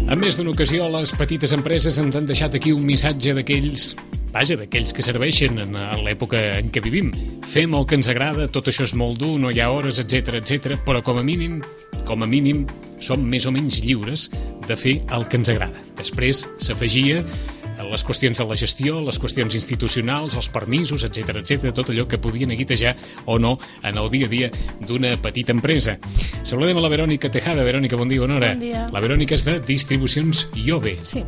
En més d'una ocasió, les petites empreses ens han deixat aquí un missatge d'aquells que serveixen en l'època en què vivim. Fem el que ens agrada, tot això és molt dur, no hi ha hores, etc, però com a mínim, som més o menys lliures de fer el que ens agrada. Després s'afegia les qüestions de la gestió, les qüestions institucionals, els permisos, etc, tot allò que podien neguitejar o no en el dia a dia d'una petita empresa. Saludem a la Verònica Tejada. Verònica, bon dia, bona hora. Bon dia. La Verònica és de Distribucions Iove. Sí.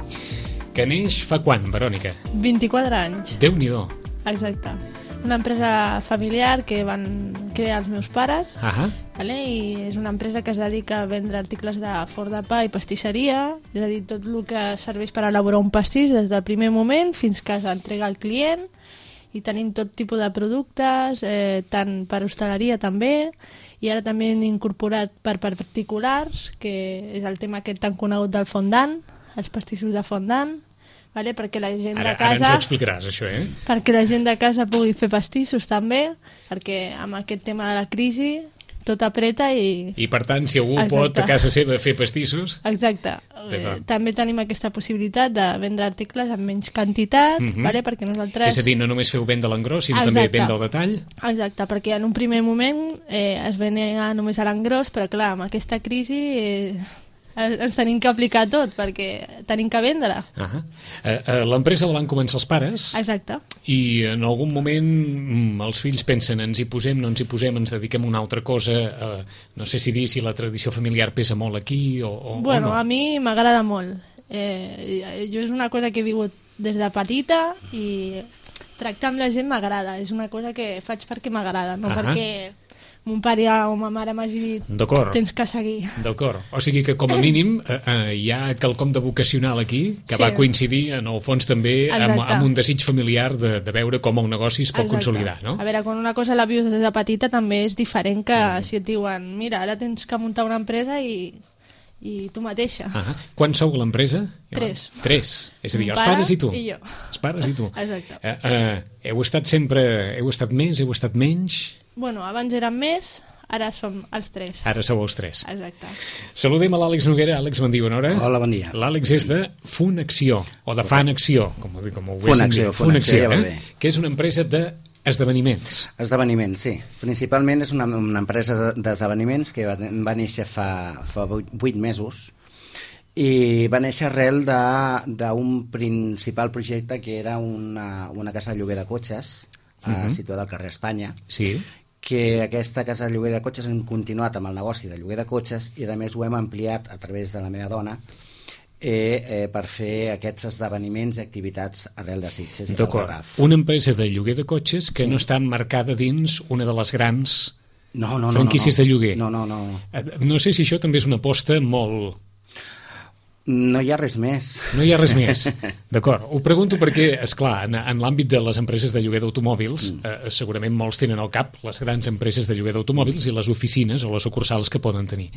Que neix fa quan, Verònica? 24 anys. Déu-n'hi-do. Exacte. Una empresa familiar que van crear els meus pares, vale? I és una empresa que es dedica a vendre articles de forn de pa i pastisseria, és a dir, tot el que serveix per elaborar un pastís des del primer moment fins que s'entrega al client, i tenim tot tipus de productes, tant per hostaleria també, i ara també hem incorporat per particulars, que és el tema aquest tan conegut del fondant, els pastissos de fondant, vale? Perquè la gent de casa... Ara ens ho explicaràs, això, Perquè la gent de casa pugui fer pastissos també, perquè amb aquest tema de la crisi tot apreta i... I per tant, si algú pot a casa seva fer pastissos... Exacte. També tenim aquesta possibilitat de vendre articles en menys quantitat, vale? Perquè nosaltres... És a dir, no només feu venda a l'engròs, sinó també venda al detall? Exacte, perquè en un primer moment es venia només a l'engròs, però clar, amb aquesta crisi... ens tenim que aplicar tot, perquè tenim que vendre. L'empresa la van començar els pares. Exacte. I en algun moment els fills pensen, ens hi posem, no ens hi posem, ens dediquem a una altra cosa. No sé si dir si la tradició familiar pesa molt aquí o bueno, no. A mi m'agrada molt. Jo és una cosa que he vingut des de petita i tractar amb la gent m'agrada. És una cosa que faig perquè m'agrada, no perquè... mon pare o ma mare m'hagi dit tens que seguir. D'acord, o sigui que com a mínim hi ha quelcom de vocacional aquí que va coincidir en el fons també amb un desig familiar de veure com el negoci es pot consolidar, no? A veure, quan una cosa la vius des de petita també és diferent que si et diuen mira, ara tens que muntar una empresa i tu mateixa. Quan sou a l'empresa? 3. És a dir, els pares i tu. I jo. Els pares i tu. Exacte. Heu estat més, heu estat menys? Bueno, abans érem més, ara som els 3. Ara sou els 3. Exacte. Saludem a l'Àlex Noguera. Àlex, bon dia, bona hora. Hola, bon dia. L'Àlex és de Funacció, o de Fanacció, com ho Funacció, ja va bé. Que és una empresa d'esdeveniments. Esdeveniments, sí. Principalment és una empresa d'esdeveniments que va néixer fa 8 mesos i va néixer arrel d'un principal projecte que era una casa de lloguer de cotxes situada al carrer Espanya. Sí. Que aquesta casa de lloguer de cotxes hem continuat amb el negoci de lloguer de cotxes i a més ho hem ampliat a través de la meva dona per fer aquests esdeveniments i activitats arrel de Sitges i del Garraf. Una empresa de lloguer de cotxes que no està emmarcada dins una de les grans franquícies de lloguer. No. No sé si això també és una aposta molt... No hi ha res més. No hi ha res més. D'acord. Ho pregunto perquè, esclar, en l'àmbit de les empreses de lloguer d'automòbils, segurament molts tenen al cap les grans empreses de lloguer d'automòbils i les oficines o les sucursals que poden tenir.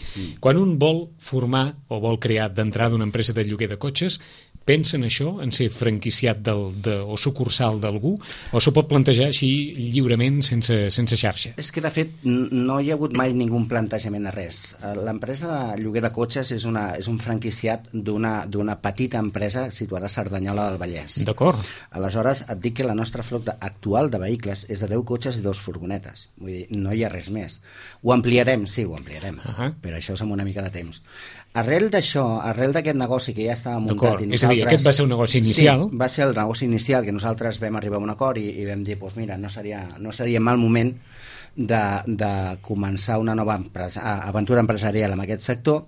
Quan un vol formar o vol crear d'entrada una empresa de lloguer de cotxes, pensa en això, en ser franquiciat o sucursal d'algú, o s'ho pot plantejar així lliurement, sense xarxa? És que, de fet, no hi ha hagut mai ningú plantejament a res. L'empresa de lloguer de cotxes és un franquiciat d'una petita empresa situada a Cerdanyola del Vallès. D'acord. Aleshores, et dic que la nostra flota actual de vehicles és de 10 cotxes i 2 furgonetes. Vull dir, no hi ha res més. Ho ampliarem, sí, ho ampliarem, però això és amb una mica de temps. Arrel d'això, arrel d'aquest negoci que ja estava muntat... És a dir, aquest va ser un negoci inicial? Sí, va ser el negoci inicial que nosaltres vam arribar a un acord i vam dir, doncs mira, no seria mal moment de començar una nova aventura empresarial en aquest sector.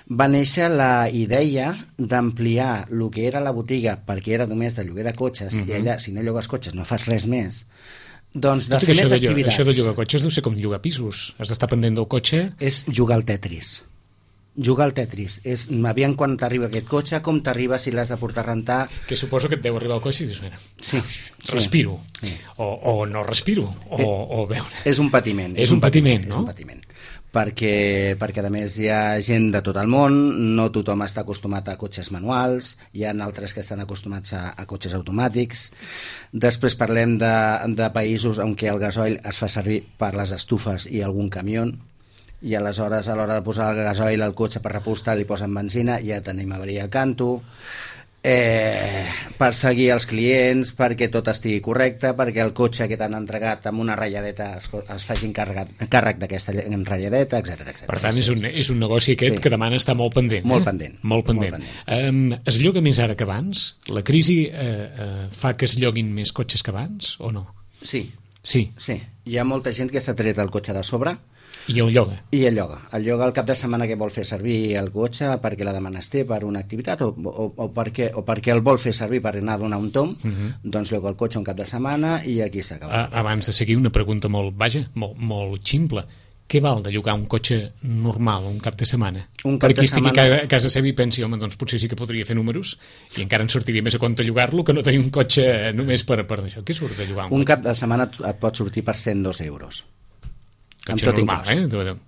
Va néixer la idea d'ampliar el que era la botiga, perquè era només de lloguer de cotxes, i allà, si no llogues cotxes, no fas res més, doncs de fer més activitats. Això de llogar cotxes deu ser com llogar pisos. Has d'estar pendent del cotxe. És jugar al Tetris. Jugar al Tetris. És, aviam quan t'arriba aquest cotxe, com t'arriba, si l'has de portar a rentar... Que suposo que et deu arribar al cotxe i dius, mira, respiro, o no respiro, o veure... És un patiment. És un patiment, no? És un patiment. Perquè a més hi ha gent de tot el món, no tothom està acostumat a cotxes manuals, hi ha altres que estan acostumats a cotxes automàtics. Després parlem de països on el gasoil es fa servir per les estufes i algun camió. i aleshores a l'hora de posar el gasoil al cotxe per repostar li posen benzina, ja tenim avaria al canto, perseguir els clients perquè tot estigui correcte, perquè el cotxe que t'han entregat amb una ratlladeta es facin càrrec d'aquesta ratlladeta, etc. Per tant, és un negoci aquest que demana estar molt pendent. Molt pendent. Molt pendent. Es lloga més ara que abans? La crisi fa que es lloguin més cotxes que abans o no? Sí. Sí. Hi ha molta gent que s'ha tret el cotxe de sobre i el lloga. El lloga el cap de setmana que vol fer servir el cotxe perquè la demanda es té per una activitat o perquè el vol fer servir per anar a donar un tomb, doncs lloga el cotxe un cap de setmana i aquí s'acaba. Abans de seguir, una pregunta molt ximple. Què val de llogar un cotxe normal un cap de setmana? Perquè estigui a casa seva i pensi, home, doncs potser sí que podria fer números i encara ens sortiria més a compte llogar-lo que no tenir un cotxe només per això. Què surt de llogar un cap de setmana et pot sortir per 102 euros. Cotxe normal,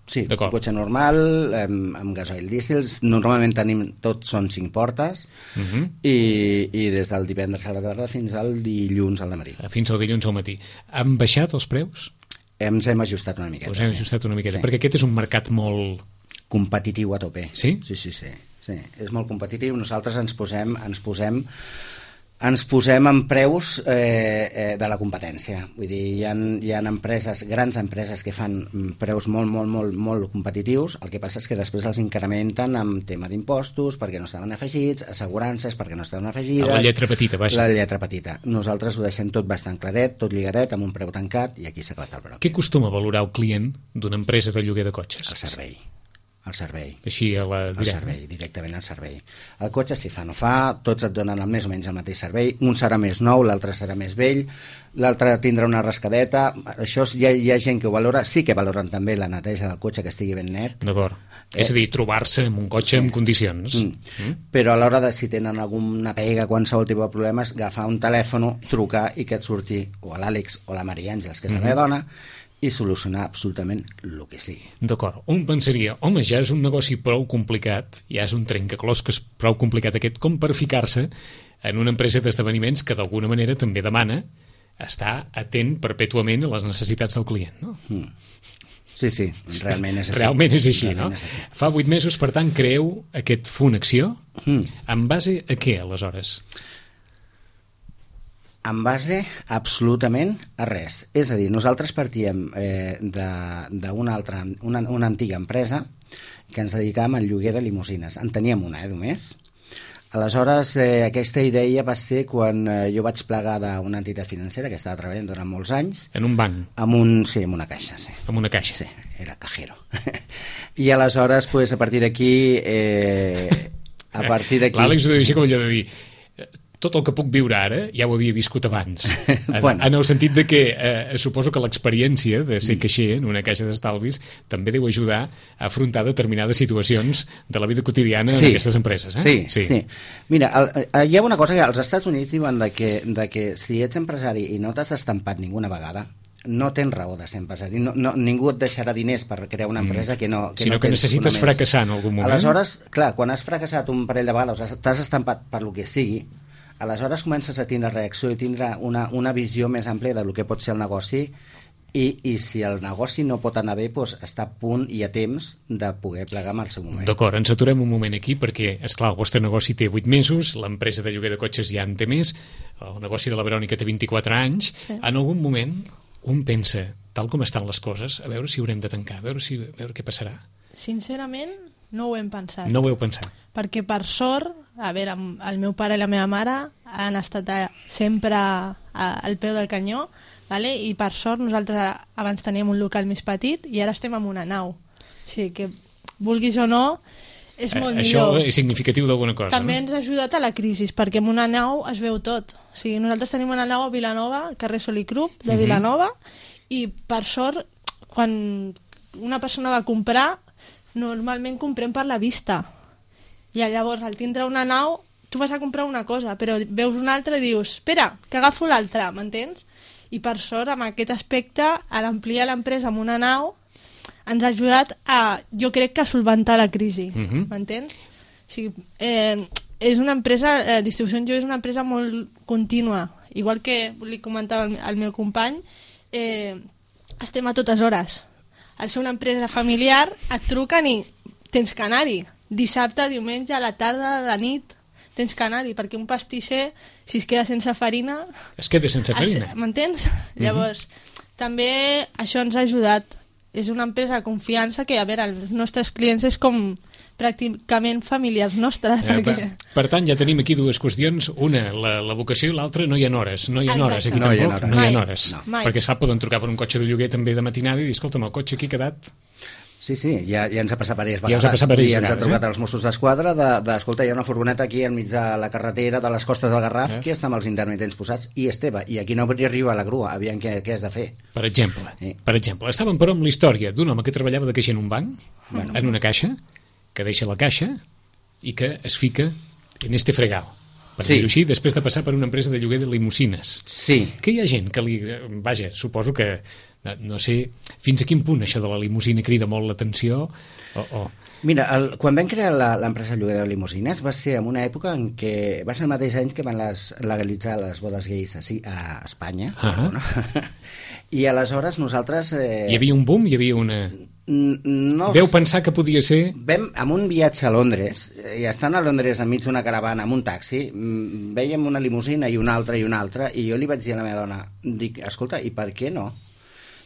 Sí, un cotxe normal, amb gasoil dísel. Normalment tots són 5 portes i des del divendres a la tarda fins al dilluns al matí. Fins al dilluns al matí. Han baixat els preus? Ens hem ajustat una miqueta. Us hem ajustat una miqueta, perquè aquest és un mercat molt... competitiu a tope. Sí? Sí. És molt competitiu. Nosaltres ens posem en preus de la competència. Vull dir, hi ha empreses, grans empreses que fan preus molt competitius. El que passa és que després els incrementen amb tema d'impostos perquè no estaven afegits, assegurances perquè no estaven afegides... La lletra petita, vaja. La lletra petita. Nosaltres ho deixem tot bastant claret, tot lligadet, amb un preu tancat i aquí s'ha acabat el brot. Què acostuma a valorar el client d'una empresa de lloguer de cotxes? El servei. Així Directament al servei. El cotxe, si fa o no fa, tots et donen més o menys el mateix servei. Un serà més nou, l'altre serà més vell, l'altre tindrà una rascadeta. Això hi ha gent que ho valora. Sí que valoren també la neteja del cotxe, que estigui ben net. D'acord. És a dir, trobar-se amb un cotxe en condicions. Però a l'hora de si tenen alguna pega, qualsevol tipus de problemes, agafar un telèfon, trucar i que et surti o a l'Àlex o la Maria Àngels, que és la meva dona, i solucionar absolutament el que sigui. D'acord. Un pensaria, home, ja és un negoci prou complicat, ja és un trencaclosques prou complicat aquest, com per ficar-se en una empresa d'esdeveniments que d'alguna manera també demana estar atent perpètuament a les necessitats del client, no? Sí, realment és així. Realment és així, no? Fa 8 mesos, per tant, creeu aquest Funacció. En base a què, aleshores? En base absolutament a res. És a dir, nosaltres partíem d'una antiga empresa que ens dedicàvem al lloguer de limusines. En teníem una, només. Aleshores, aquesta idea va ser quan jo vaig plegar d'una entitat financera que estava treballant durant molts anys. En un banc? Sí, en una caixa, sí. En una caixa? Sí, era cajero. I aleshores, a partir d'aquí... L'Àlex ho deixa com allò de dir... Tot el que puc viure ara ja ho havia viscut abans. En el sentit de que suposo que l'experiència de ser caixer en una caixa d'estalvis també deu ajudar a afrontar determinades situacions de la vida quotidiana d'aquestes empreses. Sí. Mira, hi ha una cosa que als Estats Units diuen de que si ets empresari i no t'has estampat ninguna vegada, no tens raó de ser empresari. Ningú et deixarà diners per crear una empresa que no sinó que necessites fracassar en algun moment. Aleshores, clar, quan has fracassat un parell de vegades, t'has estampat per lo que sigui, aleshores comences a tindre reacció i tindre una visió més àmplia del que pot ser el negoci i si el negoci no pot anar bé, està a punt i a temps de poder plegar en el seu moment. D'acord, ens aturem un moment aquí perquè, esclar, el vostre negoci té 8 mesos, l'empresa de lloguer de cotxes ja en té més, el negoci de la Verònica té 24 anys. En algun moment un pensa, tal com estan les coses, a veure si haurem de tancar, a veure què passarà. Sincerament, no ho hem pensat. No ho heu pensat. Perquè per sort, a veure, el meu pare i la meva mare han estat sempre al peu del canyó, vale? I per sort nosaltres abans teníem un local més petit i ara estem en una nau. O sigui que, vulguis o no, és molt millor. Això és significatiu d'alguna cosa, també ens ha ajudat a la crisi, perquè en una nau es veu tot. O sigui, nosaltres tenim una nau a Vilanova, carrer Solicrup, de Vilanova, i per sort, quan una persona va comprar, normalment comprem per la vista. I llavors, al tindre una nau, tu vas a comprar una cosa, però veus una altra i dius, espera, que agafo l'altra, m'entens? I per sort, amb aquest aspecte, a l'ampliar l'empresa amb una nau, ens ha ajudat a, jo crec que a solventar la crisi, m'entens? O sigui, és una empresa, Distribució en Jo és una empresa molt contínua, igual que li comentava el meu company, estem a totes hores. al ser una empresa familiar, et truquen i tens que anar-hi. Dissabte, diumenge, a la tarda, a la nit, tens que anar-hi, perquè un pastisser, si es queda sense farina... Es queda sense farina. M'entens? Llavors, també això ens ha ajudat. És una empresa de confiança que, a veure, els nostres clients és com pràcticament familiars nostres. Perquè... Per tant, ja tenim aquí dues qüestions. Una, la vocació, i l'altra, no hi ha hores. No hi ha hores aquí tampoc. No hi ha hores. Perquè sap, poden trucar per un cotxe de lloguer també de matinada i dir, escolta'm, el cotxe aquí ha quedat... Sí, ja ens ha passat diverses vegades. Ja us ha passat diverses vegades, ens ha trucat els Mossos d'Esquadra escolta, hi ha una furgoneta aquí enmig de la carretera de les costes del Garraf, que està amb els intermitents posats, i Esteve, i aquí no arriba la grua, aviam què has de fer. Per exemple, estàvem però amb la història d'un home que treballava de caixer en un banc, en una caixa, que deixa la caixa i que es fica en este fregal, per dir-ho així, després de passar per una empresa de lloguer de limusines. Sí. Que hi ha gent que vaja, suposo que no sé fins a quin punt això de la limusina crida molt l'atenció Mira, quan vam crear l'empresa de lloguer de limusines va ser en una època en què va ser el mateix any que van legalitzar les bodes gais a Espanya, no? I aleshores nosaltres... Hi havia un boom? Hi havia una... Veu pensar que podia ser... Vam amb un viatge a Londres, i estant a Londres enmig d'una caravana amb un taxi, vèiem una limusina i una altra, i jo li vaig dir a la meva dona, dic, escolta, i per què no?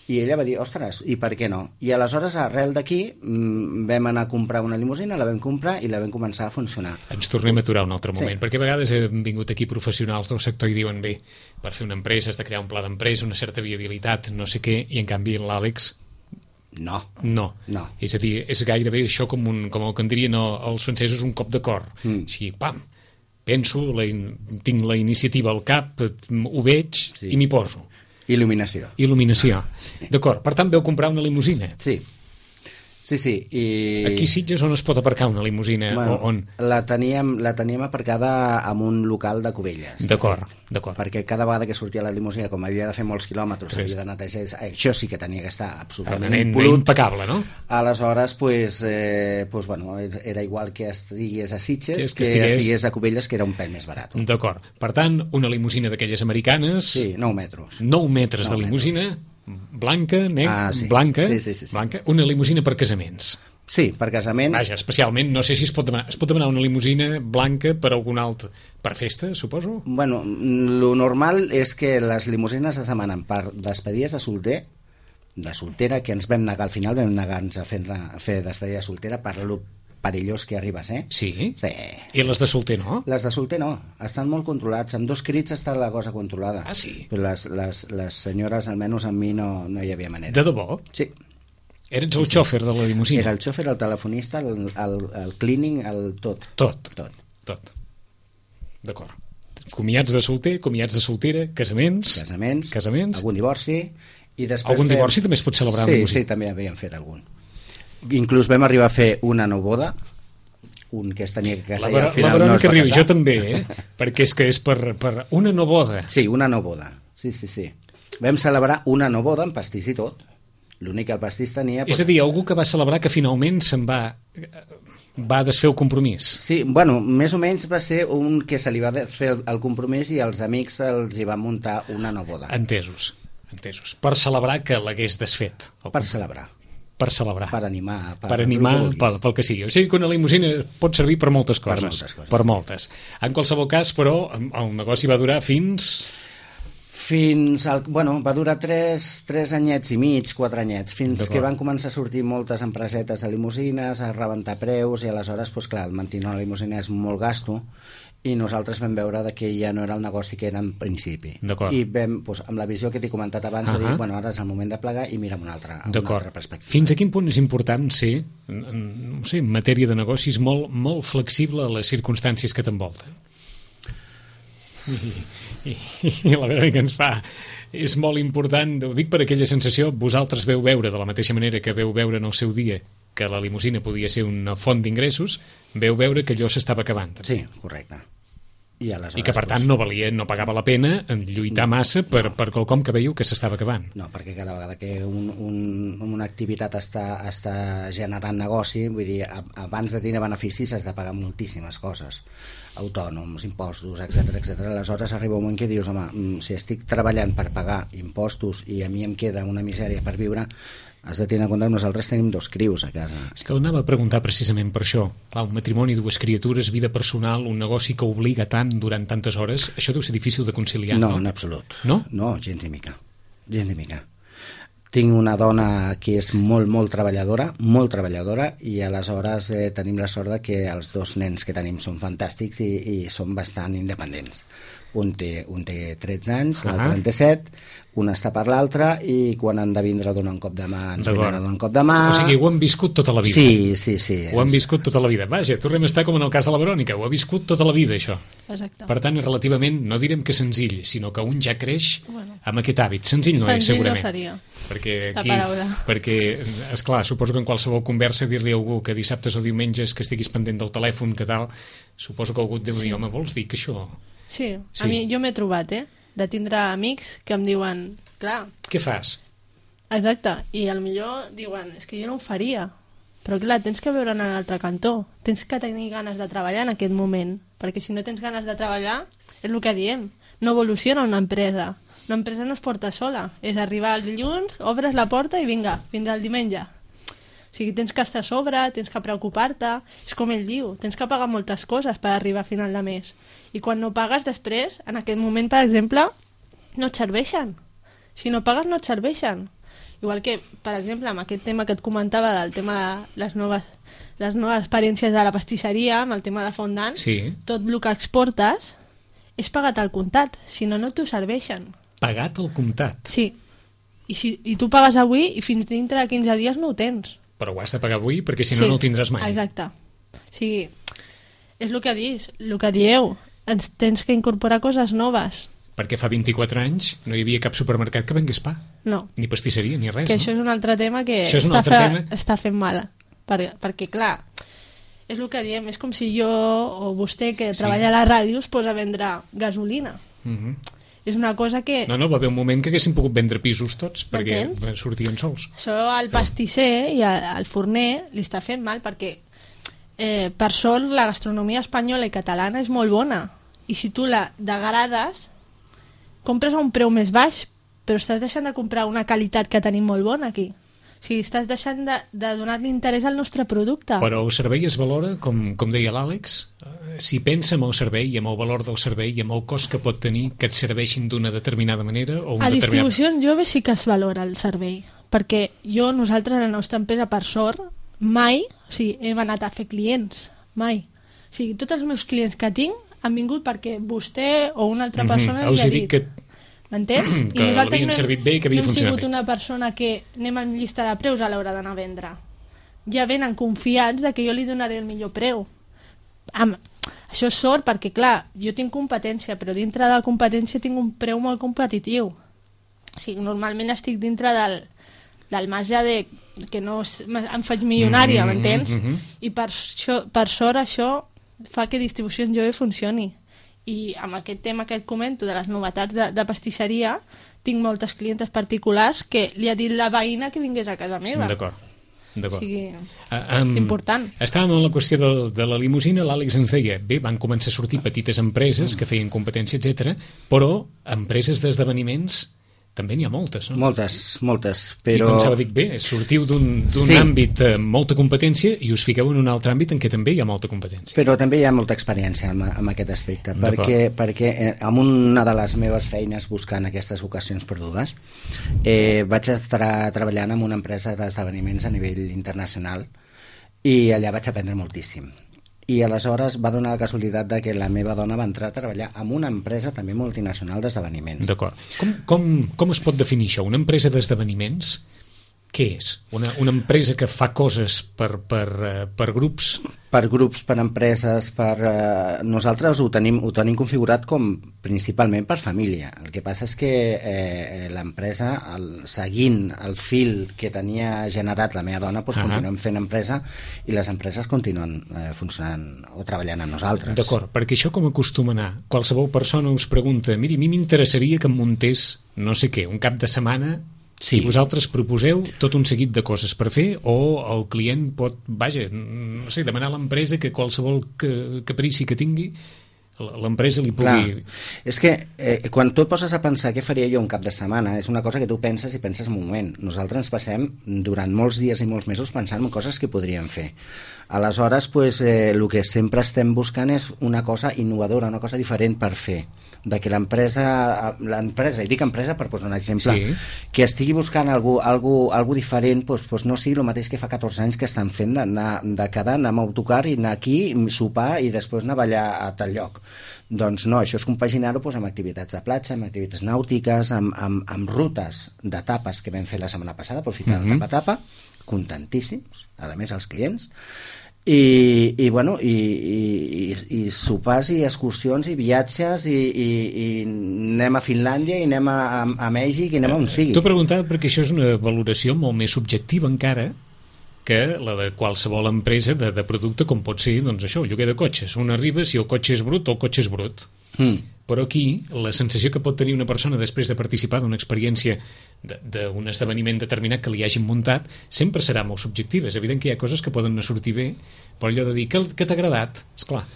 I ella va dir, ostres, i per què no? I aleshores, arrel d'aquí, vam anar a comprar una limusina, la vam comprar i la vam començar a funcionar. Ens tornem a aturar un altre moment, perquè a vegades han vingut aquí professionals del sector i diuen, bé, per fer una empresa has de crear un pla d'empresa, una certa viabilitat, no sé què, i en canvi l'Àlex... No. És a dir, és gairebé això com el que en dirien els francesos, un cop de cor. Així, pam, penso, tinc la iniciativa al cap, ho veig i m'hi poso. Il·luminació. Sí. D'acord, per tant veu comprar una limusina. Sí. I... Aquí a Sitges on es pot aparcar una limusina? On? La teníem aparcada en un local de Cubelles. D'acord. Perquè cada vegada que sortia la limusina, com havia de fer molts quilòmetres, havia de netejar, això sí que tenia que estar absolutament impecable, no? Aleshores, era igual que estigués a Sitges que estigués a Cubelles, que era un pèl més barat. D'acord. Per tant, una limusina d'aquelles americanes... Sí, 9 metres. 9 metres de limusina... Blanca, blanca, una limusina per casaments. Sí, per casaments. Vaja, especialment, no sé si es pot demanar una limusina blanca per algun altre... Per festa, suposo? Bueno, lo normal és que les limusines es demanen per despedides de soltera, que ens vam negar, al final vam negar-nos a fer despedida de soltera per lo perillós que arribes, Sí? I les de solter no? Les de solter no, estan molt controlats, amb 2 crits està la cosa controlada. Ah, sí? Però les senyores, almenys amb mi, no hi havia manera. De debò? Sí. Eres el xòfer de la limusina? Era el xòfer, el telefonista, el cleaning, el tot. Tot. D'acord. Comiats de solter, comiats de soltera, casaments... Algun divorci... I després algun divorci també es pot celebrar amb limusina? Sí, també havíem fet algun. Inclús vam arribar a fer una noboda, un que es tenia que casar i al final no es va casar. Jo també, perquè és per una noboda. Sí, una noboda. Sí. Vam celebrar una noboda amb pastís i tot. L'únic que el pastís tenia... És a dir, algú que va celebrar que finalment se'n va desfer el compromís. Sí, bueno, més o menys va ser un que se li va desfer el compromís i els amics els hi van muntar una noboda. Entesos. Per celebrar que l'hagués desfet. Per celebrar. Per animar, pel que sigui. O sigui que una limusina pot servir per moltes coses. Per moltes. En qualsevol cas, però, el negoci va durar va durar 3 anyets i mig, 4 anyets, fins que van començar a sortir moltes empresetes de limusines, a rebentar preus, i aleshores, clar, mantenir una limusina és molt gasto, i nosaltres vam veure que ja no era el negoci que era en principi. I vam, amb la visió que t'he comentat abans, de dir, ara és el moment de plegar i mira amb una altra perspectiva. Fins a quin punt és important ser, en matèria de negocis, molt flexible a les circumstàncies que t'envolten? I la vera que ens fa és molt important, ho dic per aquella sensació, vosaltres veu veure de la mateixa manera que veu veure en el seu dia que la limusina podia ser una font d'ingressos, veu veure que allò s'estava acabant. Sí, correcte. I que per tant no pagava la pena lluitar massa per quelcom que veieu que s'estava acabant. No, perquè cada vegada que una activitat està generant negoci, vull dir, abans de tenir beneficis has de pagar moltíssimes coses, autònoms, impostos, etc. Aleshores arriba un moment que dius, home, si estic treballant per pagar impostos i a mi em queda una misèria per viure, Has de tenir en compte que nosaltres tenim 2 crios a casa. És que anava a preguntar precisament per això. Clar, un matrimoni, 2 criatures, vida personal, un negoci que obliga tant durant tantes hores, això deu ser difícil de conciliar, no? No, en absolut. No? No, gens ni mica. Gens ni mica. Tinc una dona que és molt treballadora, i aleshores tenim la sort que els 2 nens que tenim són fantàstics i són bastant independents. Un té 13 anys, l'altre 37, un està per l'altre i quan han de vindre a donar un cop de mà ens venen a donar un cop de mà. O sigui, ho han viscut tota la vida. Sí. Ho han viscut tota la vida. Vaja, tornem a estar com en el cas de la Verònica, ho ha viscut tota la vida, això. Exacte. Per tant, és relativament, no direm que senzill, sinó que un ja creix amb aquest hàbit. Senzill no és, segurament. Senzill no seria. Perquè, esclar, suposo que en qualsevol conversa dir-li a algú que dissabtes o diumenges que estiguis pendent del telèfon, que tal, suposo que algú et deu dir, home, vols dir que això... Sí, a mi jo m'he trobat, de tindre amics que em diuen, clar... Què fas? Exacte, i millor diuen, és que jo no ho faria, però clar, tens que veure en l'altre cantó, tens que tenir ganes de treballar en aquest moment, perquè si no tens ganes de treballar, és el que diem, no evoluciona una empresa no es porta sola, és arribar el dilluns, obres la porta i vinga, fins al diumenge. O sigui, tens que estar a sobre, tens que preocupar-te, és com ell diu, tens que pagar moltes coses per arribar a final de mes. I quan no pagues després, en aquest moment, per exemple, no et serveixen. Si no pagues, no et serveixen. Igual que, per exemple, amb aquest tema que et comentava del tema de les noves experiències de la pastisseria, amb el tema de fondant, tot el que exportes és pagat al comptat, si no, no t'ho serveixen. Pagat al comptat? Sí. I tu pagues avui i fins dintre de 15 dies no ho tens. Però ho has de pagar avui perquè si no, no el tindràs mai. Exacte. O sigui, és el que dieu, ens tens que incorporar coses noves. Perquè fa 24 anys no hi havia cap supermercat que vengués pa. No. Ni pastisseria, ni res. Que això és un altre tema que està fent mal. Perquè, clar, és el que diem, és com si jo o vostè que treballa a la ràdio es posa a vendre gasolina. És una cosa que... No, va haver un moment que haguéssim pogut vendre pisos tots perquè sortien sols. Això al pastisser i al forner li està fent mal perquè per sort la gastronomia espanyola i catalana és molt bona i si tu la degrades compres a un preu més baix però estàs deixant de comprar una qualitat que tenim molt bona aquí. O sigui, estàs deixant de donar-li interès al nostre producte. Però el servei es valora, com deia l'Àlex, si pensa en el servei i en el valor del servei i en el cost que pot tenir que et serveixin d'una determinada manera o a distribucions joves sí que es valora el servei perquè nosaltres a la nostra empresa per sort mai hem anat a fer clients, mai. O sigui, tots els meus clients que tinc han vingut perquè vostè o una altra persona li ha dit que m'entens? Que l'havien servit bé i que havia funcionat bé. No hem sigut una persona que anem en llista de preus a l'hora d'anar a vendre. Ja venen confiats de que jo li donaré el millor preu. Això és sort perquè, clar, jo tinc competència, però dintre de la competència tinc un preu molt competitiu. O sigui, normalment estic dintre del marge de que no em faig milionària, m'entens? I per sort això fa que Distribució Jove funcioni. I amb aquest tema que et comento de les novetats de pastisseria tinc moltes clientes particulars que li ha dit la veïna que vingués a casa meva. D'acord. O sigui, important. Estàvem en la qüestió de la limusina, l'Àlex ens deia, bé, van començar a sortir petites empreses que feien competència, etc, però empreses d'esdeveniments també n'hi ha moltes, no? Moltes, però... I pensava, bé, sortiu d'un àmbit amb molta competència i us fiqueu en un altre àmbit en què també hi ha molta competència. Però també hi ha molta experiència en aquest aspecte, perquè amb una de les meves feines buscant aquestes vocacions perdudes vaig estar treballant en una empresa d'esdeveniments a nivell internacional i allà vaig aprendre moltíssim. I aleshores va donar la casualitat de que la meva dona va entrar a treballar en una empresa també multinacional d'esdeveniments. D'acord. Com es pot definir això? Una empresa d'esdeveniments, què és? Una empresa que fa coses per grups? Per grups, per empreses, nosaltres ho tenim configurat com principalment per família. El que passa és que l'empresa, seguint el fil que tenia generat la meva dona, continuem fent empresa i les empreses continuen funcionant o treballant amb nosaltres. D'acord, perquè això com acostuma a anar? Qualsevol persona us pregunta, miri, a mi m'interessaria que em muntés no sé què, un cap de setmana. Sí. I vosaltres proposeu tot un seguit de coses per fer o el client pot, demanar a l'empresa que qualsevol caprici que tingui l'empresa li pugui... Clar. És que quan tu et poses a pensar què faria jo un cap de setmana, és una cosa que tu penses i penses en un moment. Nosaltres ens passem durant molts dies i molts mesos pensant en coses que podríem fer. Aleshores, el que sempre estem buscant és una cosa innovadora, una cosa diferent per fer. De que l'empresa, i dic empresa per posar un exemple, sí, que estigui buscant algú diferent, no sigui el mateix que fa 14 anys que estan fent, de quedar, anar amb autocar i anar aquí, sopar i després anar a ballar a tal lloc. Doncs no, això és compaginar-ho amb activitats de platja, amb activitats nàutiques, amb rutes d'etapes que vam fer la setmana passada, aprofitant el tapa-tapa, contentíssims, a més els clients, i sopars i excursions i viatges i anem a Finlàndia i anem a Mèxic i anem a on sigui. T'ho preguntava perquè això és una valoració molt més subjectiva encara que la de qualsevol empresa de producte, com pot ser, doncs això, el lloguer de cotxes. Un arriba si el cotxe és brut o el cotxe és brut. Però aquí la sensació que pot tenir una persona després de participar d'una experiència d'un esdeveniment determinat que li hagin muntat sempre serà molt subjectiva. És evident que hi ha coses que poden no sortir bé, però allò de dir que t'ha agradat, esclar,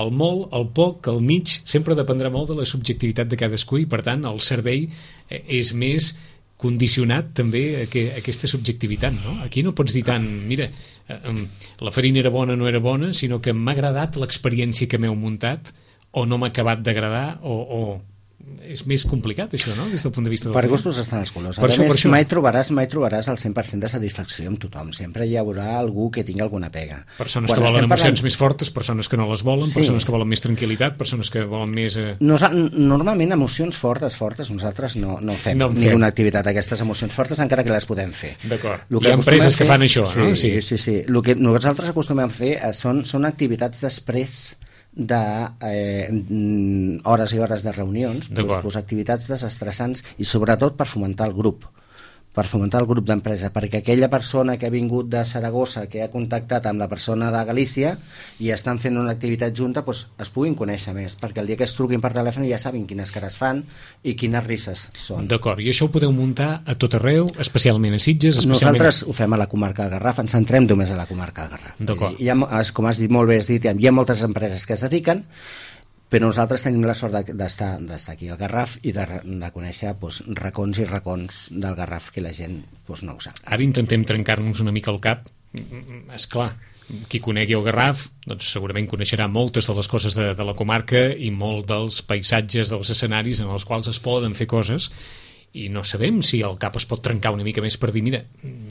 el molt, el poc, el mig, sempre dependrà molt de la subjectivitat de cadascú i per tant el servei és més condicionat també a aquesta subjectivitat, no? Aquí no pots dir tant, mira, la farina era bona o no era bona, sinó que m'ha agradat l'experiència que m'heu muntat o no m'ha acabat d'agradar o és més complicat això, no? Des del punt de vista del per gustos estan els colors. A més, mai trobaràs el 100% de satisfacció amb tothom. Sempre hi haurà algú que tingui alguna pega. Persones que volen emocions més fortes, persones que no les volen, persones que volen més tranquil·litat, persones que volen més... Normalment emocions fortes nosaltres no fem ni una activitat d'aquestes emocions fortes, encara que les podem fer. D'acord. Hi ha empreses que fan això, no? Sí. El que nosaltres acostumem a fer són activitats després de hores i hores de reunions, activitats desestressants i sobretot per fomentar el grup d'empresa, perquè aquella persona que ha vingut de Saragossa, que ha contactat amb la persona de Galícia i estan fent una activitat junta, es puguin conèixer més, perquè el dia que es truquin per telèfon ja sabin quines cares fan i quines risses són. D'acord, i això ho podeu muntar a tot arreu, especialment a Sitges? Nosaltres ho fem a la comarca del Garraf, ens centrem només a la comarca del Garraf. D'acord. Com has dit molt bé, hi ha moltes empreses que es dediquen, però nosaltres tenim la sort d'estar aquí al Garraf i de conèixer racons i racons del Garraf que la gent no ho sap. Ara intentem trencar-nos una mica el cap. Esclar, qui conegui el Garraf doncs segurament coneixerà moltes de les coses de la comarca i molt dels paisatges, dels escenaris en els quals es poden fer coses, i no sabem si el cap es pot trencar una mica més per dir, mira,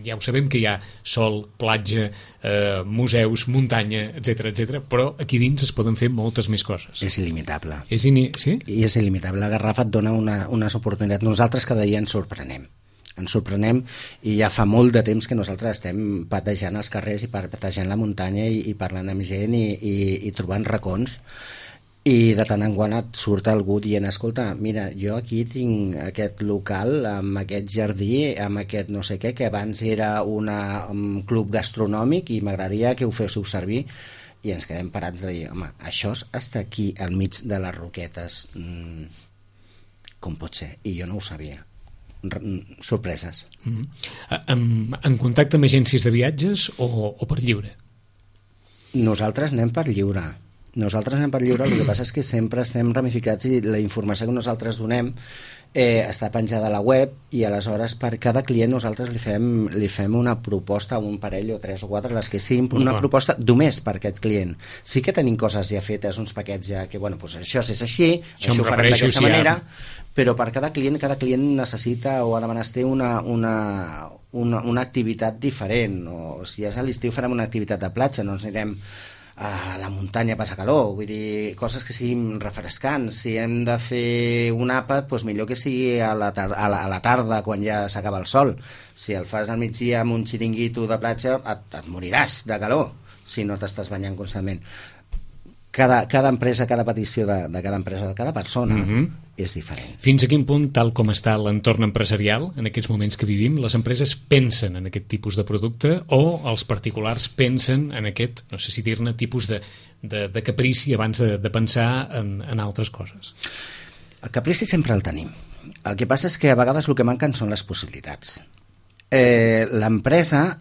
ja ho sabem que hi ha sol, platja, museus, muntanya, etc, però aquí dins es poden fer moltes més coses. És il·limitable. Sí? I és il·limitable. La Garraf et dona unes oportunitats. Nosaltres cada dia ens sorprenem i ja fa molt de temps que nosaltres estem patejant els carrers i patejant la muntanya i parlant amb gent i trobant racons. I de tant en quant et surt algú dient, escolta, mira, jo aquí tinc aquest local amb aquest jardí, amb aquest no sé què, que abans era un club gastronòmic i m'agradaria que ho féssiu servir, i ens quedem parats de dir, home, això està aquí al mig de les roquetes, com pot ser? I jo no ho sabia. Sorpreses. En contacte amb agències de viatges o per lliure? Nosaltres anem per lliure. El que passa és que sempre estem ramificats i la informació que nosaltres donem està penjada a la web i aleshores per cada client nosaltres li fem una proposta, un parell o 3 o 4, les que siguin una proposta només per aquest client. Sí que tenim coses ja fetes, uns paquets ja que, això és així, això ho farem d'aquesta manera, però per cada client necessita o ha de menester una activitat diferent, o si és a l'estiu farem una activitat de platja, no ens anirem a la muntanya passa calor, vull dir, coses que siguin refrescants. Si hem de fer un àpat, doncs millor que sigui a la tarda quan ja s'acaba el sol. Si el fas al migdia amb un xiringuito de platja et moriràs de calor si no t'estàs banyant constantment. Cada empresa, cada petició de cada empresa, de cada persona és diferent. Fins a quin punt, tal com està l'entorn empresarial en aquests moments que vivim, les empreses pensen en aquest tipus de producte o els particulars pensen en aquest, no sé si dir-ne, tipus de caprici abans de pensar en altres coses? El caprici sempre el tenim. El que passa és que a vegades el que manquen són les possibilitats. l'empresa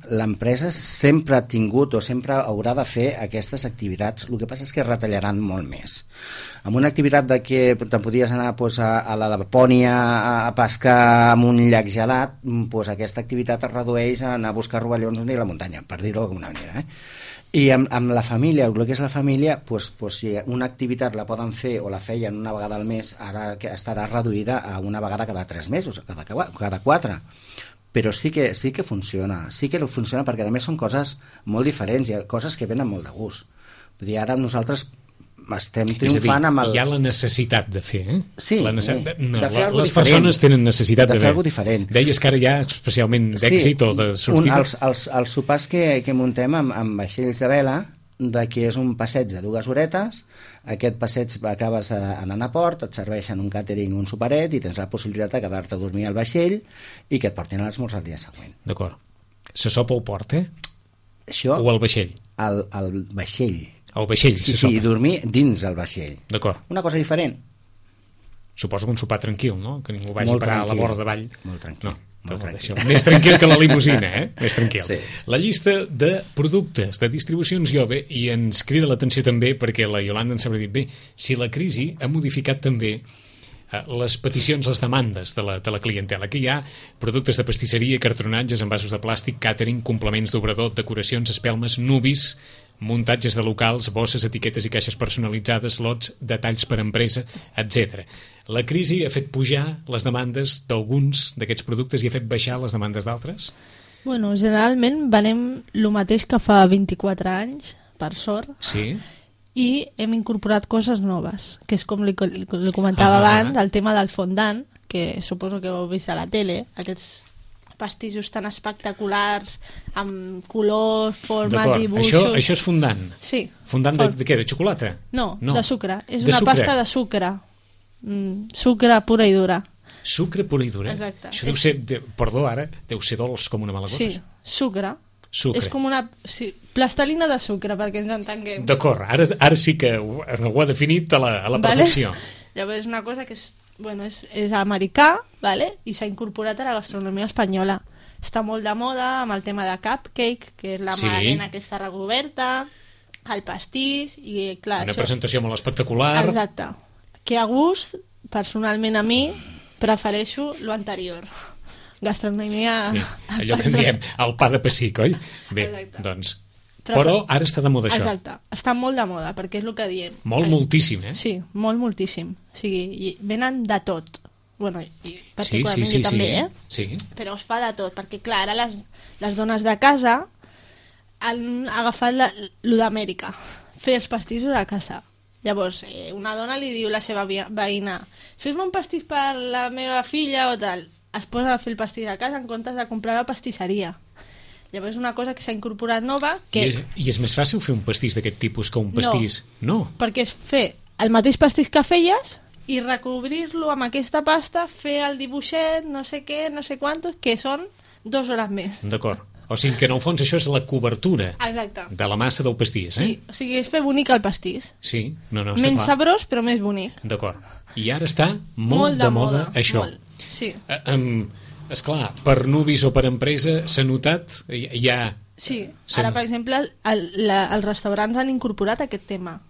sempre ha tingut o sempre haurà de fer aquestes activitats. El que passa és que retallaran molt més. Amb una activitat de que te'n podies anar a la Lapònia a pescar en un llac gelat, aquesta activitat es redueix a anar a buscar rovellons a la muntanya, per dir-ho d'alguna manera. I amb la família, el que és la família, si una activitat la poden fer o la feien una vegada al mes, ara estarà reduïda a una vegada cada 3 mesos, cada 4. Però sí que funciona, perquè a més són coses molt diferents, hi ha coses que venen molt de gust. Vull dir, ara nosaltres estem triomfant amb el... Hi ha la necessitat de fer, Sí, de fer les persones tenen necessitat de fer alguna cosa diferent. Deies que ara hi ha especialment d'èxit o de sortida. Els sopars que muntem amb vaixells de vela, que és un passeig de 2 horetes, aquest passeig acabes anant a port, et serveixen un càtering, un soparet, i tens la possibilitat de quedar-te a dormir al vaixell i que et portin a l'esmorzar el dia següent. D'acord. Se sopa al port, Això, o al vaixell? Al vaixell. Al vaixell se sopa. Sí, dormir dins el vaixell. D'acord. Una cosa diferent. Suposo que un sopar tranquil, no? Que ningú vagi a parar a la vora davall. Molt tranquil. No. Més tranquil que la limusina, Més tranquil. Sí. La llista de productes, de distribucions Iove, i ens crida l'atenció també perquè la Iolanda ens sabrà dir, bé, si la crisi ha modificat també les peticions, les demandes de la clientela, que hi ha productes de pastisseria, cartronatges, envasos de plàstic, càtering, complements d'obrador, decoracions, espelmes, nubis, muntatges de locals, bosses, etiquetes i caixes personalitzades, lots, detalls per empresa, etc. La crisi ha fet pujar les demandes d'alguns d'aquests productes i ha fet baixar les demandes d'altres? Bueno, generalment venem el mateix que fa 24 anys, per sort. Sí. I hem incorporat coses noves, que és com li comentava abans, el tema del fondant, que suposo que ho heu vist a la tele, aquests pastissos tan espectaculars, amb colors, formes, dibuixos... Això és fondant? Sí. Fondant de què? De xocolata? No, de sucre. És una pasta de sucre. Sucre pura i dura. Sucre pura i dura? Exacte. Això deu ser, perdó ara, deu ser dolç com una malagosa. Sí, sucre. És com una plastelina de sucre, perquè ens entenguem. D'acord, ara sí que ho ha definit a la perfecció. Llavors és una cosa que és americà, vale? I s'ha incorporat a la gastronomia espanyola. Està molt de moda amb el tema de cupcake, que és la magdalena aquesta recoberta, el pastís, i clar... Una presentació molt espectacular. Exacte. Que a gust, personalment a mi, prefereixo lo anterior. Gastronomia... Sí, allò que en diem el pa de pessic, oi? Bé, exacte. Doncs... Però ara està de moda això. Exacte, està molt de moda, perquè és el que diem. Moltíssim, Sí, moltíssim. O sigui, venen de tot. Bueno, i particularment jo també, Sí. Però es fa de tot, perquè clar, ara les dones de casa han agafat lo d'Amèrica, fer els pastissos a casa. Llavors, una dona li diu a la seva veïna, fes-me un pastís per la meva filla o tal. Es posa a fer el pastís a casa en comptes de comprar a la pastisseria. Llavors és una cosa que s'ha incorporat nova que... I és més fàcil fer un pastís d'aquest tipus que un pastís? No. Perquè és fer el mateix pastís que feies i recobrir-lo amb aquesta pasta, fer el dibuixet, no sé què, no sé quantos, que són 2 hores més. D'acord. O sigui que en el fons això és la cobertura. Exacte. De la massa del pastís, Sí, o sigui, és fer bonic el pastís. Sí, no, menys sabrós, però més bonic. D'acord. I ara està molt de moda això. Molt. Sí. Esclar, per nubis o per empresa s'ha notat, Sí, ara per exemple els restaurants han incorporat aquest tema,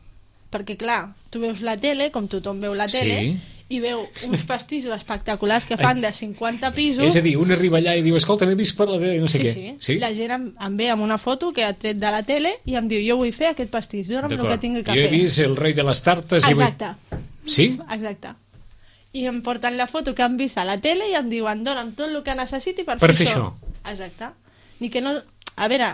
perquè clar, tu veus la tele, com tothom veu la tele, i veu uns pastissos espectaculars que fan de 50 pisos. És a dir, un arriba allà i diu, escolta, m'he vist per la tele, no sé què. Sí, la gent em ve amb una foto que ha tret de la tele i em diu, jo vull fer aquest pastís, dona'm el que tingui que fer. Jo he vist el rei de les tartes. Exacte. Sí? Exacte. I em porten la foto que han vist a la tele i em diuen, dona'm tot el que necessiti per fer això. Exacte. Ni que no... A veure,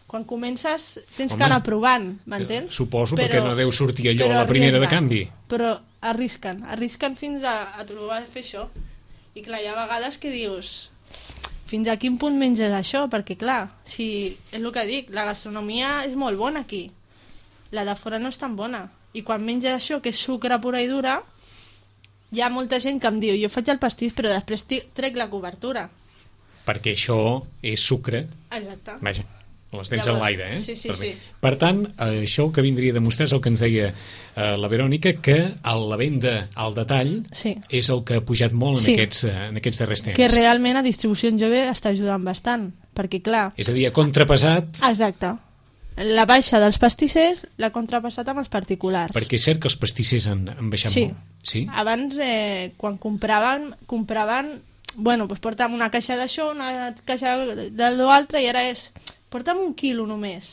quan comences tens que anar provant, m'entens? Suposo, perquè no deu sortir allò a la primera de canvi. Però arrisquen fins a trobar fer això. I clar, hi ha vegades que dius, fins a quin punt menges això? Perquè clar, si és el que dic, la gastronomia és molt bona aquí. La de fora no és tan bona. I quan menges això, que és sucre pura i dura, hi ha molta gent que em diu, jo faig el pastís però després trec la cobertura. Perquè això és sucre. Exacte. Vaja. Les tens en l'aire, eh? Sí. Per tant, això que vindria a demostrar és el que ens deia la Verònica, que la venda al detall és el que ha pujat molt en aquests darrers temps. Que realment a distribució en jove està ajudant bastant, perquè clar... És a dir, ha contrapesat... Exacte. La baixa dels pastissers l'ha contrapassat amb els particulars. Perquè és cert que els pastissers han baixat molt. Sí. Abans, quan compraven... Bueno, doncs porta'm una caixa d'això, una caixa de l'altre, i ara és... Porta'm 1 quilo només.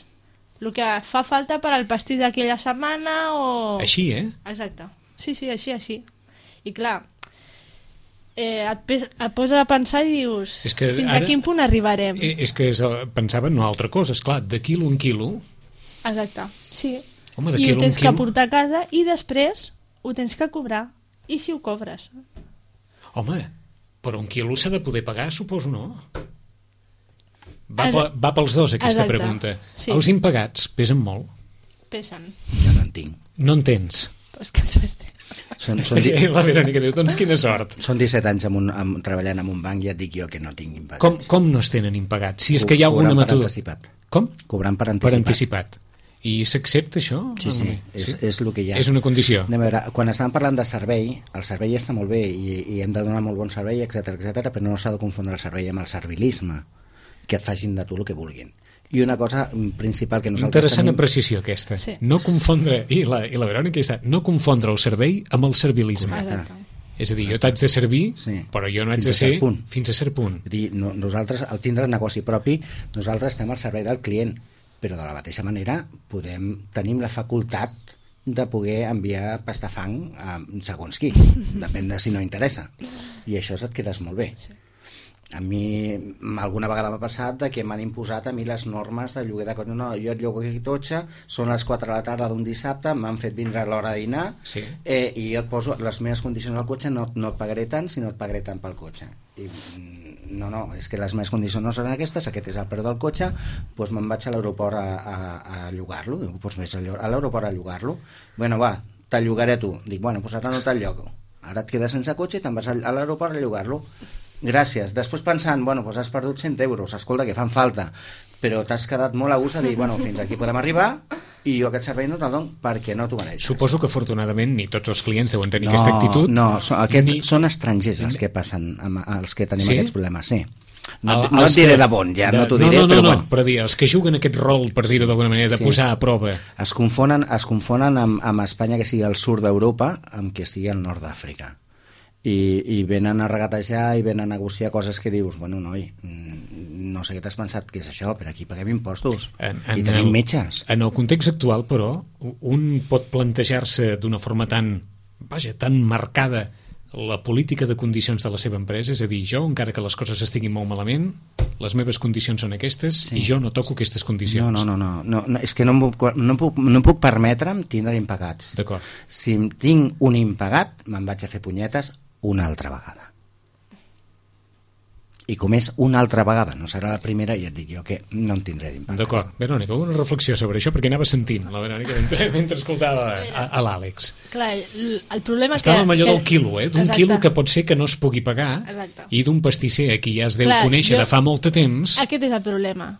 El que fa falta per al pastís d'aquella setmana o... Així, eh? Exacte. Sí, així. I clar, et posa a pensar i dius fins a quin punt arribarem. És que pensava en una altra cosa, esclar, de quilo en quilo. Exacte, sí. Home, i ho tens que portar a casa i després ho tens que cobrar. I si ho cobres? Home, però 1 quilo s'ha de poder pagar, suposo, no? Va pels dos, aquesta pregunta. Sí. Els impagats pesen molt? Pesen. Jo no en tinc. No en tens? Pues que sort. La Verònica diu, doncs quina sort. Són 17 anys treballant en un banc i et dic jo que no tinc impagats. Com no es tenen impagats? Si és que hi ha alguna metodologia... Com? Cobrant per anticipat. I s'accepta això? Sí. És el que hi ha. És una condició. A veure, quan estàvem parlant de servei, el servei està molt bé i hem de donar molt bon servei, etc, però no s'ha de confondre el servei amb el servilisme, que et facin de tu el que vulguin. I una cosa principal que nosaltres Interessant apreciació aquesta. Sí. No confondre, i la Verònica està, no confondre el servei amb el servilisme. Exacte. És a dir, jo t'haig de servir, però jo no haig de ser fins a cert punt. Nosaltres, al tindre negoci propi, nosaltres estem al servei del client, però de la mateixa manera tenim la facultat de poder enviar pastafang a segons qui, depèn de si no interessa. I això et quedes molt bé. Sí. A mi alguna vegada m'ha passat que m'han imposat a mi les normes de lloguer de cotxe. No, jo et llogo aquí cotxe, són les 4 de la tarda d'un dissabte, m'han fet vindre a l'hora de dinar, i jo et poso les meves condicions al cotxe, no et pagaré tant, sinó et pagaré tant pel cotxe. I no, és que les meves condicions no són aquestes, aquest és el preu del cotxe, doncs me'n vaig a l'aeroport a llogar-lo. Doncs vés a l'aeroport a llogar-lo. Bueno, va, te'l llogaré a tu. Dic, bueno, doncs ara no te'l llogo. Ara et quedes sense cotxe i te'n vas a l'aeroport a llogar-lo. Gràcies. Després pensant, bueno, doncs has perdut 100 euros, escolta, que fan falta, però t'has quedat molt a gust de dir, bueno, fins aquí podem arribar i jo aquest servei no te'l dono perquè no t'ho mereixes. Suposo que afortunadament ni tots els clients deuen tenir aquesta actitud. No, són estrangers els que passen, els que tenim aquests problemes, sí. No et diré de bon, ja no t'ho diré, però bueno. Però dir, els que juguen aquest rol, per dir-ho d'alguna manera, de posar a prova. Es confonen amb Espanya, que sigui al sud d'Europa, amb que sigui al nord d'Àfrica. I venen a regatejar i venen a negociar coses que dius, bueno, noi, no sé què t'has pensat que és això, però aquí paguem impostos i tenim metges. En el context actual, però, un pot plantejar-se d'una forma tan marcada la política de condicions de la seva empresa, és a dir, jo, encara que les coses estiguin molt malament, les meves condicions són aquestes i jo no toco aquestes condicions. No, és que no puc permetre'm tindre impagats. D'acord. Si tinc un impagat, me'n vaig a fer punyetes una altra vegada. I com és una altra vegada, no serà la primera, i et dic jo que no en tindré d'impagats. D'acord. Verònica, una reflexió sobre això, perquè anava sentint la Verònica mentre escoltava a l'Àlex. Clar, el problema estava amb allò del quilo, d'un quilo que pot ser que no es pugui pagar. Exacte. I d'un pastisser a qui ja es deu conèixer de fa molt de temps. Aquest és el problema,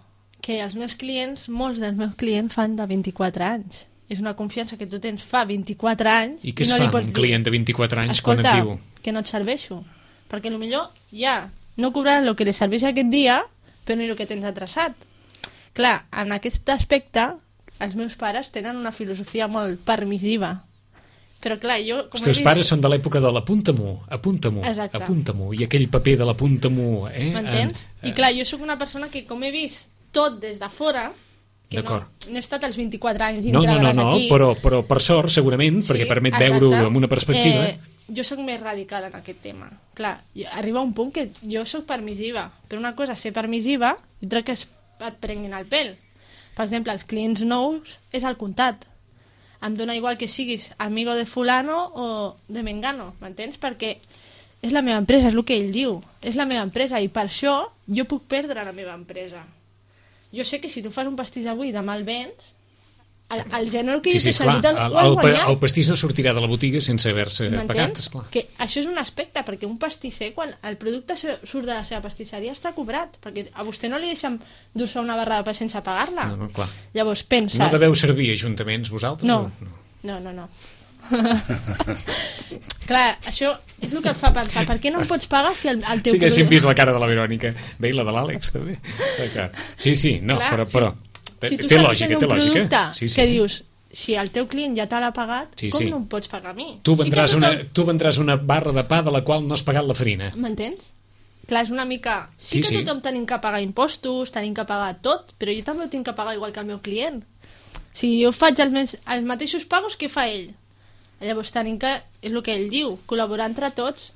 que els meus clients, molts dels meus clients fan de 24 anys. És una confiança que tu tens fa 24 anys. I què es fa un client de 24 anys quan et diu? Que no et serveixo. Perquè potser ja no cobraràs el que li serveix aquest dia, però ni el que tens atrasat. Clar, en aquest aspecte, els meus pares tenen una filosofia molt permissiva. Però clar, jo... Els teus pares són de l'època de l'apunta-m'ho, apunta-m'ho, i aquell paper de l'apunta-m'ho... M'entens? I clar, jo sóc una persona que, com he vist tot des de fora, que no he estat als 24 anys integrats aquí... No, però per sort, segurament, perquè permet veure-ho amb una perspectiva... Jo sóc més radical en aquest tema. Clar, arriba un punt que jo sóc permissiva, però una cosa és ser permissiva i altra que et prenguin el pèl. Per exemple, els clients nous és al comptat. Em dona igual que siguis amigo de fulano o de mengano, m'entens? Perquè és la meva empresa, és el que ell diu. És la meva empresa i per això jo puc perdre la meva empresa. Jo sé que si tu fas un pastís avui i demà el vens, el gener que jo t'he servit ho has guanyat. El pastís no sortirà de la botiga sense haver-se pagat, esclar. Que això és un aspecte, perquè un pastisser, quan el producte surt de la seva pastisseria, està cobrat, perquè a vostè no li deixen dur-se una barra de pa sense pagar-la. No, clar. Llavors penses... No deveu servir ajuntaments vosaltres? No. Clar, això és el que et fa pensar, per què no em pots pagar si el teu sí que hem vist la cara de la Verònica, bé, i la de l'Àlex també. Sí, no, clar, però si tu té estàs lògica, fent un producte que dius, si el teu client ja te l'ha pagat, com no em pots pagar a mi? Tu vendràs una barra de pa de la qual no has pagat la farina. M'entens? Clar, és una mica... Sí que tothom tenim que pagar impostos, tenim que pagar tot, però jo també ho tinc que pagar igual que el meu client. Si jo faig els mateixos pagos, què fa ell? Llavors tenim que, és el que ell diu, col·laborar entre tots,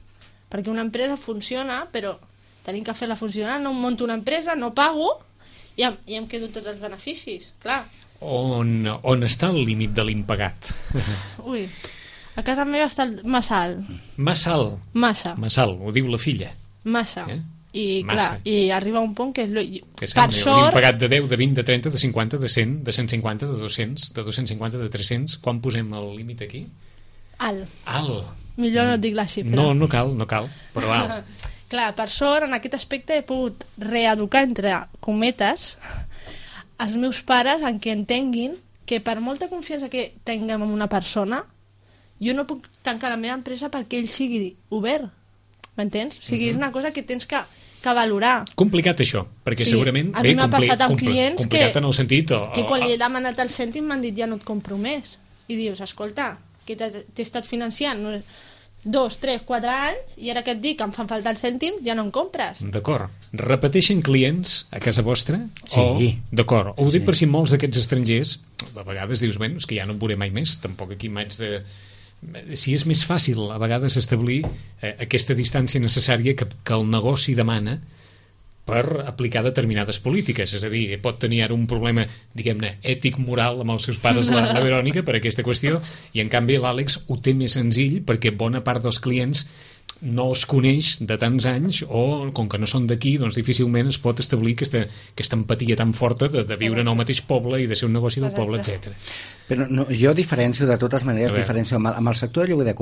perquè una empresa funciona, però tenim que fer-la funcionar, no monto una empresa, no pago, i em quedo tots els beneficis, clar. On està el límit de l'impagat? Ui, a casa meva està massa alt. Massa alt? Massa alt, ho diu la filla. Massa. I clar, i arriba un punt que és per sort... L'impagat de 10, de 20, de 30, de 50, de 100, de 150, de 200, de 250, de 300... Quan posem el límit aquí? Alt. Millor no et dic la xifra. No cal, però alt. Clar, per sort, en aquest aspecte he pogut reeducar, entre cometes, els meus pares en què entenguin que per molta confiança que tinguem en una persona, jo no puc tancar la meva empresa perquè ell sigui obert. M'entens? O sigui, és una cosa que tens que valorar. Complicat això, perquè segurament... A mi m'ha passat amb clients complicat en el sentit... que quan li he demanat el cèntim m'han dit ja no et compro més. I dius, escolta, que t'he estat financiant 2, 3, 4 anys i ara que et dic que em fan falta els cèntims ja no en compres. D'acord. Repeteixen clients a casa vostra? Sí. D'acord. Ho dic per si molts d'aquests estrangers a vegades dius, bé, és que ja no et veuré mai més, tampoc aquí m'haig de... Si és més fàcil a vegades establir aquesta distància necessària que el negoci demana per aplicar determinades polítiques, és a dir, pot tenir ara un problema, diguem-ne, ètic-moral amb els seus pares, la Verònica, per aquesta qüestió, i en canvi l'Àlex ho té més senzill perquè bona part dels clients no es coneix de tants anys o, com que no són d'aquí, doncs difícilment es pot establir aquesta empatia tan forta de viure en el mateix poble i de ser un negoci del poble, etc. Però no, jo diferencio, de totes maneres, amb el sector de lloguer de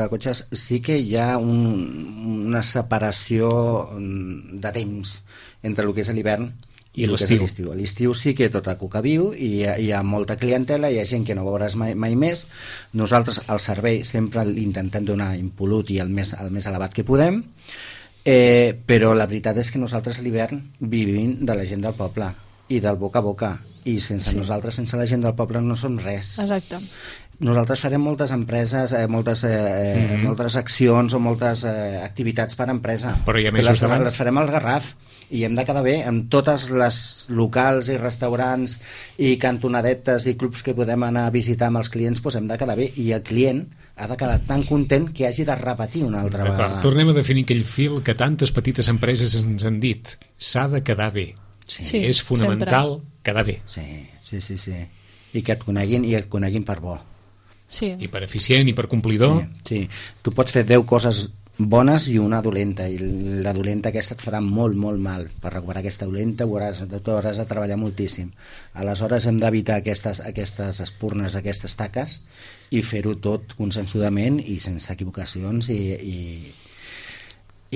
cotxes, sí que hi ha una separació de temps entre el que és l'hivern i l'estiu. A l'estiu sí que tot a cuca viu i hi ha molta clientela, hi ha gent que no veuràs mai més. Nosaltres el servei sempre l'intentem donar impolut i el més elevat que podem, però la veritat és que nosaltres a l'hivern vivim de la gent del poble i del boca a boca, i sense nosaltres, sense la gent del poble no som res. Exacte. Nosaltres farem moltes empreses, moltes accions o moltes activitats per empresa, però hi ha més les farem al Garraf i hem de quedar bé amb totes les locals i restaurants i cantonadetes i clubs que podem anar a visitar amb els clients, doncs hem de quedar bé i el client ha de quedar tan content que hagi de repetir una altra vegada. Tornem a definir aquell fil que tantes petites empreses ens han dit, s'ha de quedar bé. Sí, és fonamental quedar bé. Sí. I que et coneguin per bo. Sí. I per eficient i per complidor. Sí. Tu pots fer 10 coses bones i una dolenta, i la dolenta aquesta et farà molt mal. Per recuperar aquesta dolenta hauràs de treballar moltíssim. Aleshores hem d'evitar aquestes espurnes, aquestes taques, i fer-ho tot consensudament i sense equivocacions i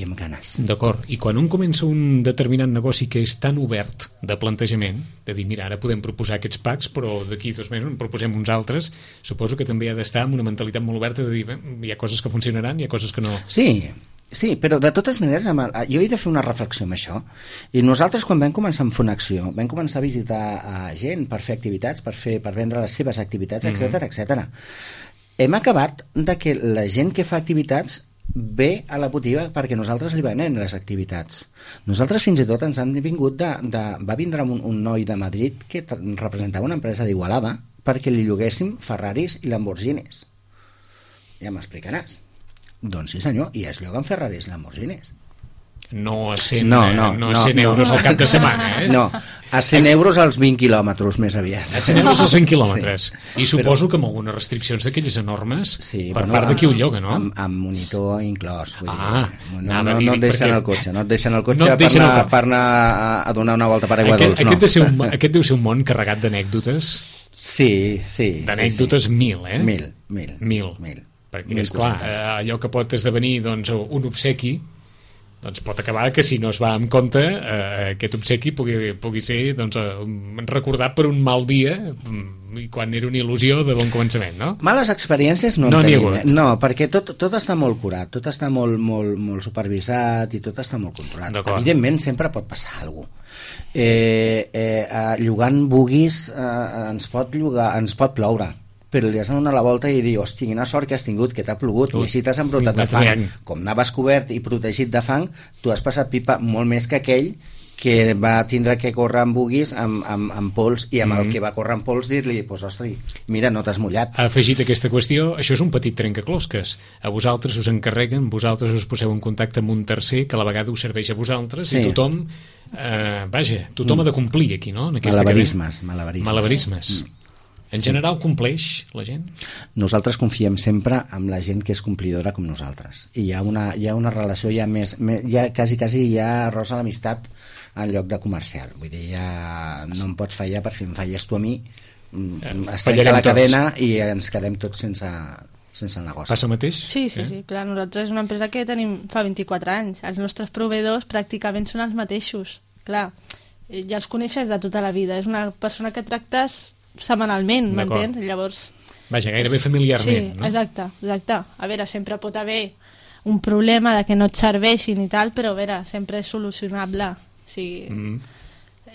amb ganes. D'acord, i quan un comença un determinat negoci que és tan obert de plantejament, de dir, mira, ara podem proposar aquests packs, però d'aquí 2 mesos en proposem uns altres, suposo que també ha d'estar amb una mentalitat molt oberta de dir, bé, hi ha coses que funcionaran, hi ha coses que no. Sí, però de totes maneres jo he de fer una reflexió amb això, i nosaltres quan vam començar amb Fonacció vam començar a visitar gent per fer activitats, per vendre les seves activitats, etc. Hem acabat de que la gent que fa activitats ve a la botiga perquè nosaltres li venem les activitats. Nosaltres fins i tot ens han vingut va vindre un noi de Madrid que representava una empresa d'Igualada perquè li lloguéssim Ferraris i Lamborghinis. Ja m'explicaràs. Doncs sí senyor, i es lloguen Ferraris i Lamborghinis. No a 100 euros al cap de setmana, No, a 100 euros als 20 quilòmetres més aviat. A 100 euros als 20 quilòmetres. I suposo que amb algunes restriccions d'aquelles enormes per part de qui ho lloga, no? Amb monitor inclòs. No et deixen el cotxe, per anar a donar una volta per aigua dolç. Aquest deu ser un món carregat d'anècdotes Sí. D'anècdotes 1.000, eh? 1.000. Perquè, esclar, allò que pot esdevenir doncs, un obsequi, doncs pot acabar que si no es va amb compte aquest obsequi pugui ser doncs, recordat per un mal dia i quan era una il·lusió de bon començament, no? Males experiències no en tenim, no, perquè tot està molt curat, tot està molt supervisat i tot està molt controlat. Evidentment sempre pot passar alguna cosa. Llogant buguis ens pot ploure, però li has de donar la volta i dir, hosti, quina sort que has tingut, que t'ha plogut, i així t'has embrutat de fang. Com anaves cobert i protegit de fang, tu has passat pipa molt més que aquell que va tindre que córrer amb buguis amb pols, i amb el que va córrer amb pols dir-li, pues, ostres, mira, no t'has mullat. Ha afegit aquesta qüestió, això és un petit trencaclosques. A vosaltres us encarreguen, vosaltres us poseu en contacte amb un tercer que a la vegada us serveix a vosaltres, i tothom tothom ha de complir aquí, no? Malabarismes. En general compleix la gent? Nosaltres confiem sempre en la gent que és complidora com nosaltres, i hi ha una relació quasi hi ha rosa l'amistat en lloc de comercial. Vull dir, ja no em pots fallar, per si em falles tu a mi es trenca la cadena i ens quedem tots sense el negoci. Passa el mateix? Sí, clar, nosaltres és una empresa que tenim fa 24 anys, els nostres proveïdors pràcticament són els mateixos, clar, ja els coneixes de tota la vida, és una persona que tractes setmanalment, m'entens? Llavors... Vaja, gairebé familiarment, no? Exacte. A veure, sempre pot haver un problema de que no et serveixin i tal, però a veure, sempre és solucionable. O sigui,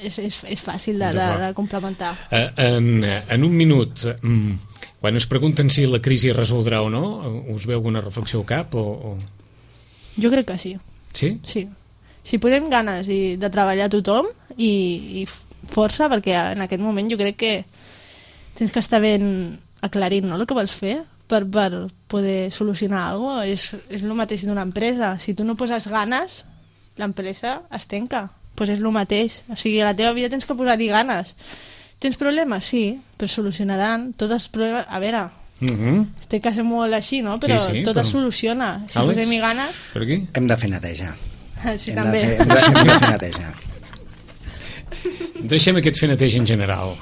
és fàcil de complementar. En un minut, quan us pregunten si la crisi es resoldrà o no, us veu alguna reflexió al cap? Jo crec que sí. Sí? Sí. Si posem ganes de treballar tothom i força, perquè en aquest moment jo crec que tens que estar ben aclarint, no?, el que vols fer per poder solucionar alguna cosa. És el mateix d'una empresa. Si tu no poses ganes, l'empresa es tanca. Pues és el mateix. O sigui, a la teva vida tens que posar-hi ganes. Tens problemes? Sí, però solucionaran tots els problemes. A veure, té que ser molt així, no? Però tot es soluciona. Si posem-hi ganes... Per aquí? Hem de fer neteja. Sí, també. Hem de fer neteja. Deixem aquest fer neteja en general,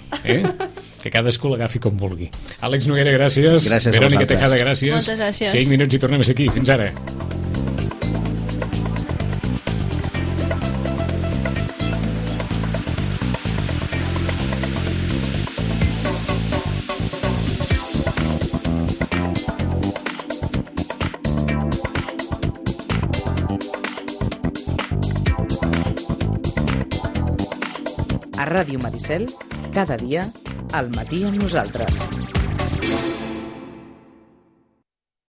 que cadascú l'agafi com vulgui. Àlex Noguera, gràcies. Gràcies. Verònica Tejada, gràcies. Moltes gràcies. 5 minuts i tornem a ser aquí. Fins ara. A Ràdio Maricel, cada dia, al matí amb nosaltres.